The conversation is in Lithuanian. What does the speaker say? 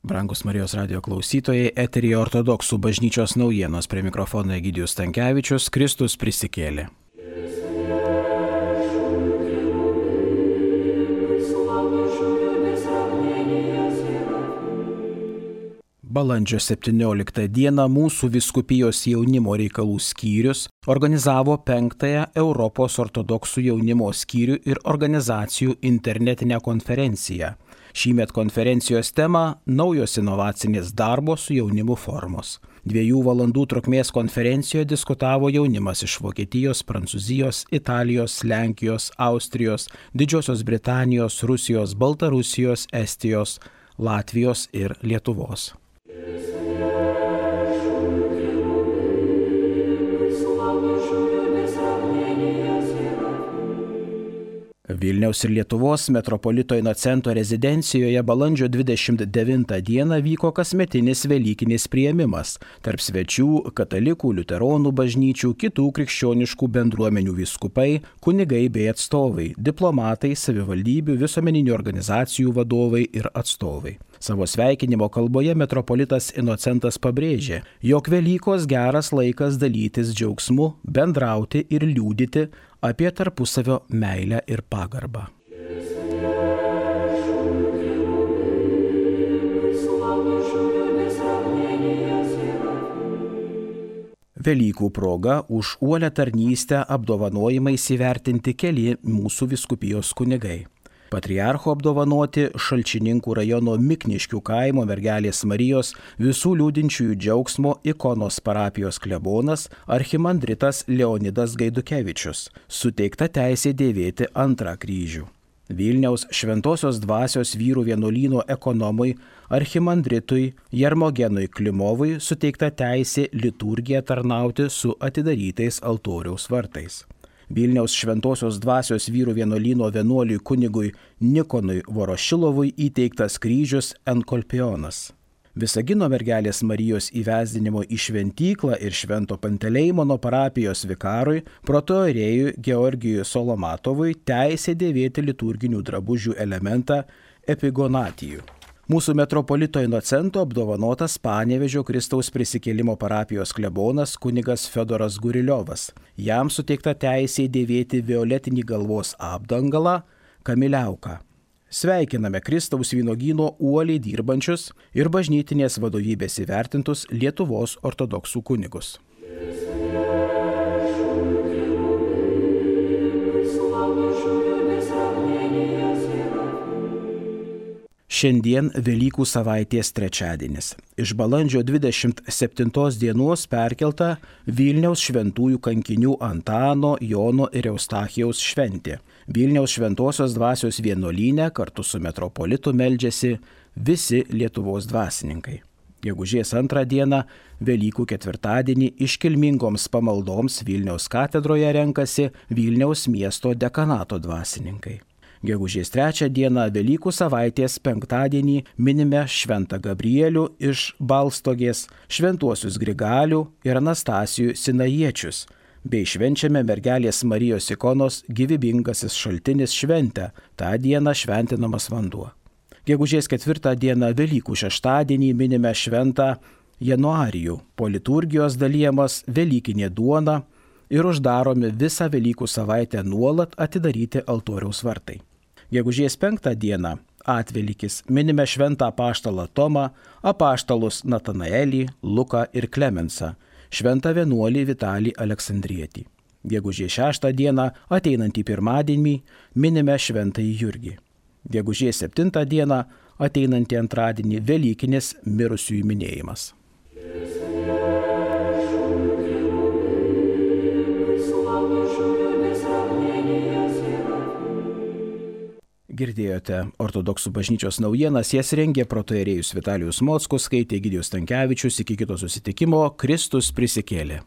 Brangus Marijos radijo klausytojai, eteryje ortodoksų bažnyčios naujienos, prie mikrofono Egidijus Stankevičius. Kristus prisikėlė. Balandžio 17 dieną mūsų vyskupijos jaunimo reikalų skyrius organizavo 5-ąją Europos ortodoksų jaunimo skyrių ir organizacijų internetinę konferenciją. Šįmet konferencijos tema – naujos inovacinės darbo su jaunimu formos. 2 valandų trukmės konferencijoje diskutavo jaunimas iš Vokietijos, Prancūzijos, Italijos, Lenkijos, Austrijos, Didžiosios Britanijos, Rusijos, Baltarusijos, Estijos, Latvijos ir Lietuvos. Vilniaus ir Lietuvos metropolito Inocento rezidencijoje balandžio 29 dieną vyko kasmetinis velykinis priėmimas tarp svečių katalikų, liuteronų bažnyčių, kitų krikščioniškų bendruomenių vyskupai, kunigai bei atstovai, diplomatai, savivaldybių, visuomeninių organizacijų vadovai ir atstovai. Savo sveikinimo kalboje metropolitas Inocentas pabrėžė, jog Velykos geras laikas dalytis džiaugsmu, bendrauti ir liudyti apie tarpusavio meilę ir pagarbą. Velykų proga už uolią tarnystę apdovanojimais įvertinti keli mūsų vyskupijos kunigai. Patriarcho apdovanoti Šalčininkų rajono Mikniškių kaimo Mergelės Marijos visų liūdinčiųjų džiaugsmo ikonos parapijos klebonas archimandritas Leonidas Gaidukevičius, suteikta teisė dėvėti 2 kryžių. Vilniaus Šventosios dvasios vyrų vienuolyno ekonomui archimandritui Jarmogenui Klimovui suteikta teisė liturgiją tarnauti su atidarytais altoriaus vartais. Vilniaus Šventosios dvasios vyrų vienuolyno vienuoliui kunigui Nikonui Vorošilovui įteiktas kryžius Enkolpionas. Visagino Mergelės Marijos įvesdinimo į šventyklą ir Švento Panteleimono parapijos vikarui protoirėjui Georgijui Solomatovui teisė dėvėti liturginių drabužių elementą epigonatijų. Mūsų metropolito Inocento apdovanotas Panevėžio Kristaus prisikėlimo parapijos klebonas kunigas Fiodoras Guriliovas. Jam suteikta teisė dėvėti violetinį galvos apdangalą kamiliauką. Sveikiname Kristaus vynuogyno uoliai dirbančius ir bažnytinės vadovybės įvertintus Lietuvos ortodoksų kunigus. Šiandien Velykų savaitės trečiadienis. Iš balandžio 27 dienos perkelta Vilniaus šventųjų kankinių Antano, Jono ir Eustachijaus šventė. Vilniaus Šventosios dvasios vienuolyne kartu su metropolitu meldžiasi visi Lietuvos dvasininkai. Gegužės 2 dieną, Velykų ketvirtadienį, iškilmingoms pamaldoms Vilniaus katedroje renkasi Vilniaus miesto dekanato dvasininkai. Gegužės 3 dieną, Velykų savaitės penktadienį, minime Šventą Gabrielių iš Balstogės, Šventuosius Grigalių ir Anastasijų Sinajiečius, bei švenčiame Mergelės Marijos ikonos gyvybingasis šaltinis šventę, tą dieną šventinamas vanduo. Gegužės 4 dieną, Velykų šeštadienį, minime Šventą Januarijų, po liturgijos dalyjamas velykinė duona ir uždaromi visą Velykų savaitę nuolat atidaryti altoriaus vartai. Gegužės 5 dieną, Atvelykis, minime Šventą apaštalą Tomą, apaštalus Natanaelį, Luką ir Klemensą, Šventą vienuolį Vitalį Aleksandrietį. Gegužės 6 dieną, ateinantį pirmadienį, minime Šventąjį Jurgį. Gegužės 7 dieną, ateinantį antradienį, Velykinis mirusiųjų minėjimas. Girdėjote ortodoksų bažnyčios naujienas, jas rengė protoirėjus Vitalijus Mockus, skaitė Egidijus Stankevičius. Iki kito susitikimo, Kristus prisikėlė.